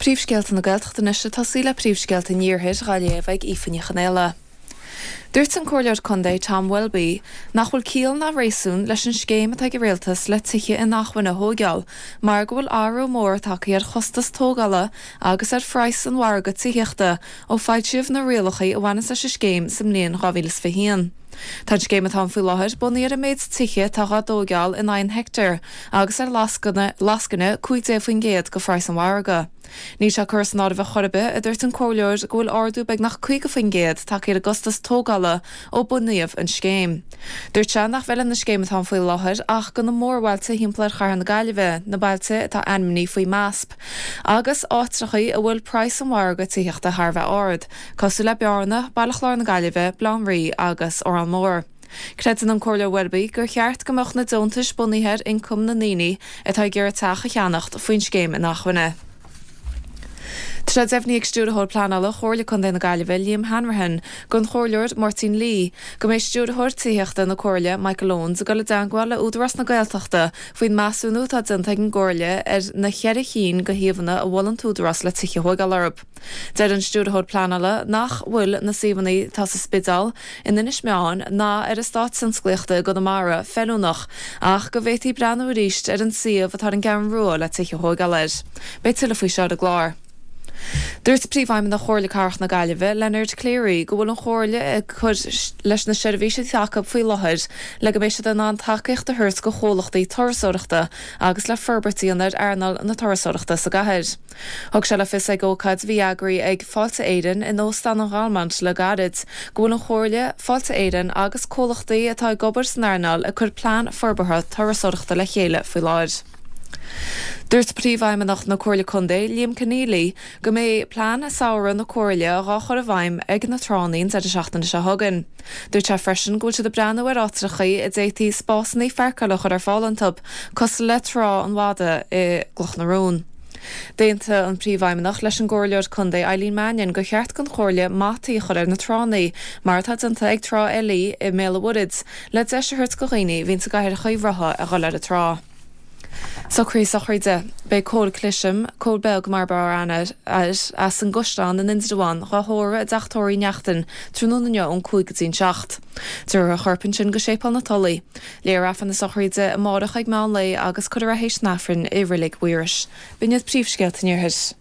Príomhscéalta na Gaeltachta anois ag tosaí le príomhscéalta an Iarthair dhá léamh ag Aoife Ní Chonaola. Dúirt an Comhairleoir Contae Tom Welby nach bhfuil ciall ná réasún leis an scéim atá ag an Rialtas le tithe inacmhainne a thóigeáil mar go bhfuil athrú mór tagtha ar chostas tógála agus ar phraghas an mhargaidh tithíochta ó foilsíodh na rialacha a bhaineanns leis an scéim sa mbliain 2021. Tá an scéim atá ann faoi láthair bunaithe ar an méid tithe atá dhá dtóigeáil in aghaidh an heicteáir agus ar lascaine 15% de phraghas an mhargaidh. Níl sé curtha san áireamh ar chor ar bith, a dúirt an comhairleoir, go bhfuil ardú beagnach 50% tagtha ar an gcostas tógála ó bunaíodh an scéim. Dúirt sé nach bhfeileann an scéim atá ann faoi láthair ach do na mórbhailte thimpeall ar chathair na Gaillimhe, na bailte atá ainmnithe faoi MASP, agus áitreachaí a bhfuil praghas an mhargaidh tithíochta thar a bheith ard, cosúil le Bearna, Baile Chláir na Gaillimhe, Baile Átha an Rí agus Órán Mór. Creideann an Comhairleoir Welby gur cheart go mbeadh na deontais bunaithe ar ioncam na ndaoine atá ag iarraidh teach a cheannacht faoin scéim inacmhainne. Tá sé deimhnithe ag Stiúrthóir Pleanála Chomhairle Contae na Gaillimhe, Liam Hanrahan, don Chomhairleoir Máirtín Lee, go mbeidh Stiúrthóir Tithíochta na Comhairle, Michael Owens, ag dul i dteangmháil le Údarás na Gaeltachta faoin measúnú atá déanta ag an gComhairle ar na cheithre chinn de shuíomhanna a mhol an tÚdarás le tithe a thóigeáil orthu. Deir an Stiúrthóir Pleanála nach bhfuil na suíomhanna atá sa Spidéal, in Inis Meáin ná ar Eastát Tionsclaíochta i gConamara feiliúnach ach go bhféadfaí breathnú arís ar an suíomh atá ar an gCeathrú Rua le tithe a thóigeáil air. Beidh tuilleadh faoi seo ar an gclár. Dúirt Príomhfheidhmeannach Chomhairle Cathrach na Gaillimhe, Leonard Cleary, go bhfuil an Chomhairle ag cur leis na seirbhísí atá acu faoi láthair le go mbeidh siad in ann tacaíocht a thabhairt do chomhlachtaí turasóireachta agus le forbairt a dhéanamh ar earnáil na turasóireachta sa gcathair. Thug sé le fios ag ócáid a bhí eagraithe ag Fáilte Éireann in Óstán an Ghalmont le gairid go bhfuil an Chomhairle, Fáilte Éireann agus comhlachtaí atá ag obair san earnáil ag cur plean forbartha turasóireachta le chéile faoi láthair. Dúirt Príomhfheidhmeannach na Comhairle Contae, Liam Conneally, go mbeidh plean samhraidh na Comhairle dhá chur i bhfeidhm ag na tránna an deireadh seachtaine seo chugainn. Dúirt sé freisin go bhfuil siad ag breathnú ar áitreachaí a d'fhéadfaí spásanna pháirceála a chur ar fáil iontu, cosúil le Trá an Mhadaidh i gCloch na Rón. D'aontaigh an Príomhfheidhmeannach leis an gComhairleoir Contae Eileen Mannion gur cheart don Chomhairle mataí a chur ar na tránna, mar atá déanta ag Trá Eilí i mBéal an Mhuirthead, le deis a thabhairt do dhaoine a bhíonns i gcathracha rotha a dhul ar an trá. Socruithe sochraide. Beidh Cóil Clisham, Cóil Beag mar ab fhearr aithne air, as an gCaisleán in Indreabhán, dhá thórramh i dTeach Tórraimh Uí Neachtain tráthnóna inniu ón 5 go dtí an 7. Tabharfar a chorp ansin go Séipéal na Tulaí. Léifear Aifreann na sochraide amárach ag meán lae agus cuirfear é théis an Aifrinn i Reilig Mhaorais. B'in iad príomhscéalta an Iarthair.